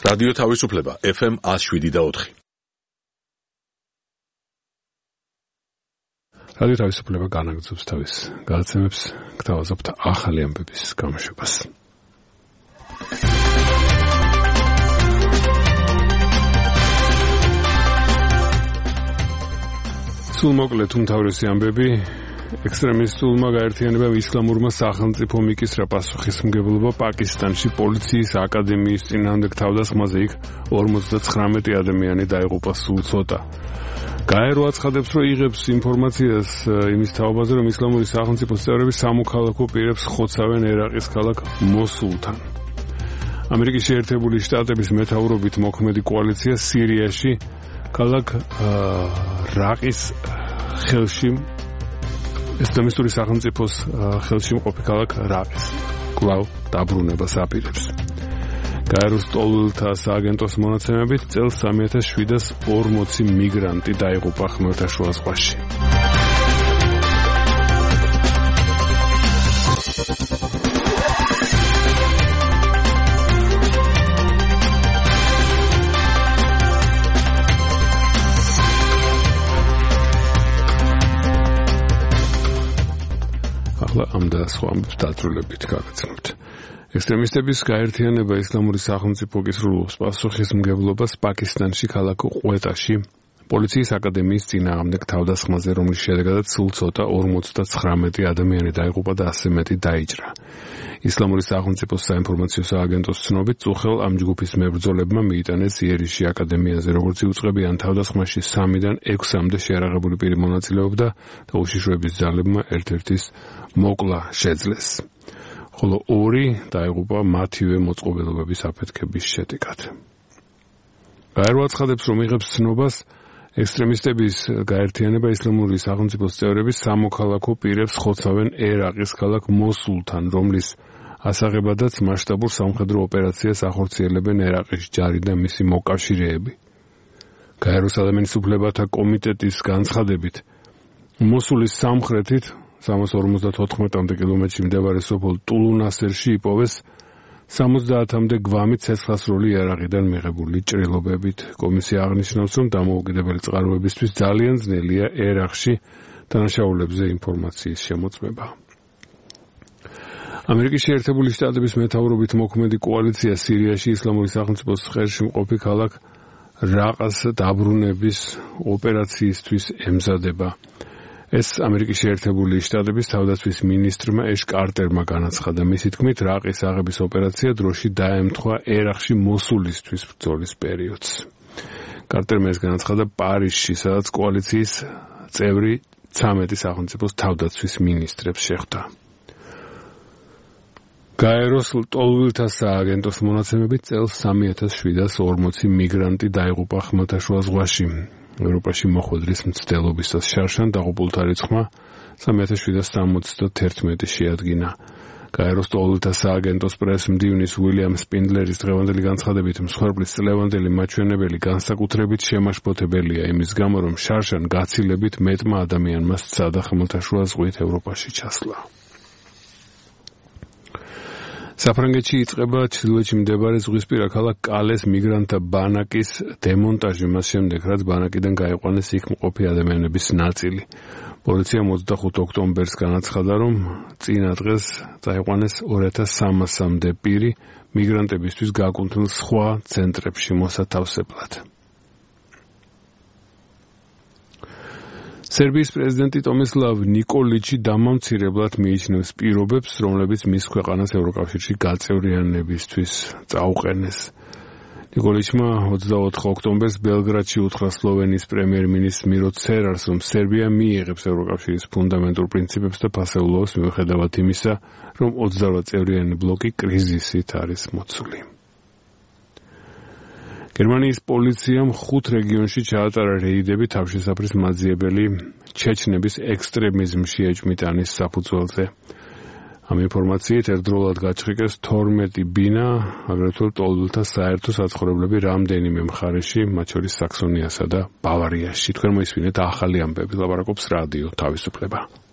რადიო თავისუფლება FM 107.4. რადიო თავისუფლება განაგრძობს თავის გადაცემებს, გთავაზობთ ახალი ამბების გამოშვებას. სულმოკლედ უმთავრესი ამბები. ექსტრემისტულმა გაერთიანებამ ისლამურმა სახელმწიფომ იკისრა პასუხისმგებლობა პაკისტანში პოლიციის აკადემიის წინააღმდეგ თავდასხმაზე. იქ 59 ადამიანი დაიღუპა სულ ცოტა. გაერო აცხადებს, რომ იღებს ინფორმაციას იმის თაობაზე, რომ ისლამური სახელმწიფოს წევრები სამოქალაქო პირებს ხოცავენ ერაყის ქალაქ მოსულთან. ამერიკის შეერთებული შტატების მეთაურობით მოქმედი კოალიცია სირიაში ქალაქ რაყის ხელში ისლამისტური სახელმწიფოს ხელში მყოფი ქალაქ რაყის კვლავ დაბრუნებას აპირებს. გაეროს ტოლვილთა სააგენტოს მონაცემებით წელს 3740 მიგრანტი დაიღუპა ხმელთაშუა ზღვაში. ამ და სხვა ამბებს დაწვრილებით გაგაცნობთ. ექსტრემისტების გაერთიანება ისლამური სახელმწიფო კისრულობს პასუხისმგებლობას პაკისტანში ქალაქ ყვეტაში პოლიციის აკადემიის წინააღმდეგ თავდასხმაზე, რომლის შედეგადაც სულ ცოტა 59 ადამიანი დაიღუპა და ასე მეტი დაიჭრა. ისლამური სახელმწიფოს საინფორმაციო სააგენტოს ცნობით, წუხელ ამ ჯგუფის მებრძოლებმა მიიტანეს იერიში აკადემიაზე, როგორც იუწყებიან თავდასხმაში 3-დან 6-მდე შეარაღებული პირი მონაწილეობდა და უშიშროების ძალებმა ერთ-ერთის მოკლა შეძლეს. ხოლო 2 დაიღუპა მათივე მოწყობილობების აფეთქების შედეგად. გაერო აცხადებს, რომ იღებს ცნობას ექსტრემისტების გაერთიანება ისლამური სახელმწიფოს წევრები სამოქალაქო პირებს ხოცავენ ერაყის ქალაქ მოსულთან, რომლის ასაღებადაც მასშტაბურ სამხედრო ოპერაციას ახორციელებენ ერაყის ჯარი და მისი მოკავშირეები. გაეროს ადამიანის უფლებათა კომიტეტის განცხადებით, მოსულის სამხრეთით 354 კილომეტრში მდებარე სოფელ ტულუნასერში იპოვეს 70-მდე გვამი ცეცხლსროლი იარაღიდან მიღებული ჭრილობებით. კომისია აღნიშნავს, რომ დამოუკიდებელი წყაროებისთვის ძალიან ძნელია ერაყში დანაშაულებზე ინფორმაციის შემოწმება. ამერიკის შეერთებული შტატების მეთაურობით მოქმედი კოალიცია სირიაში ისლამური სახელმწიფოს ხელში მყოფი ქალაქ რაყას დაბრუნების ოპერაციისთვის ემზადება. ეს ამერიკის შეერთებული შტატების თავდაცვის მინისტრმა ეშ კარტერმა განაცხადა. მისი თქმით, რაყის აღების ოპერაცია დროში დაემთხვა ერაყში მოსულისთვის ბრძოლის პერიოდს. კარტერმა ეს განაცხადა პარიზში, სადაც კოალიციის წევრი 13 სახელმწიფოს თავდაცვის მინისტრებს შეხვდა. გაეროს ტოლვილთა სააგენტოს მონაცემებით წელს 3740 მიგრანტი დაიღუპა ხმელთაშუა ზღვაში. ევროპაში მოხვედრის მცდელობისას შარშან დაღუპულთა რიცხვმა 3771 შეადგინა. გაეროს ტოლვილთა სააგენტოს პრეს-მდივნის უილიამ სპინდლერის დღევანდელი განცხადებით, მსხვერპლის წლევანდელი მაჩვენებელი განსაკუთრებით შემაშფოთებელია იმის გამო, რომ შარშან გაცილებით მეტმა ადამიანმა სცადა ხმელთაშუა ზღვით ევროპაში ჩასვლა. საფრანგეთში იწყება ჩრდილოეთში მდებარე ზღვისპირა ქალაქ კალეს მიგრანტთა ბანაკის დემონტაჟი მას შემდეგ, რაც ბანაკიდან გაიყვანეს იქ მყოფი ადამიანების ნაწილი. პოლიციამ 25 ოქტომბერს განაცხადა, რომ წინა დღეს წაიყვანეს 2300-მდე პირი მიგრანტებისთვის გაკუთვნილ სხვა ცენტრებში მოსათავსებლად. სერბიის პრეზიდენტი ტომისლავ ნიკოლიჩი დამამცირებლად მიიჩნევს პირობებს, რომლებიც მის ქვეყანას ევროკავშირში გაწევრიანებისთვის წაუყენეს. ნიკოლიჩმა 24 ოქტომბერს ბელგრადში უთხრა სლოვენიის პრემიერ-მინისტრ მირო ცერარს, რომ სერბია მიიღებს ევროკავშირის ფუნდამენტურ პრინციპებს და ფასეულობს მიუხედავად იმისა, რომ 28 წევრიანი ბლოკი კრიზისით არის მოცული. გერმანიის პოლიციამ 5 რეგიონში ჩაატარა რეიდები თავშესაფრის მაძიებელი ჩეჩნების ექსტრემიზმში ეჭვმიტანის საფუძველზე. ამ ინფორმაციით ერთდროულად გაჩხიკეს 12 ბინა, აგრეთვე ტოლვილთა საერთო საცხოვრებლები რამდენიმე მხარეში, მათ შორის საქსონიასა და ბავარიაში. თქვენ მოისმინეთ ახალი ამბები, ლაპარაკობს რადიო თავისუფლება.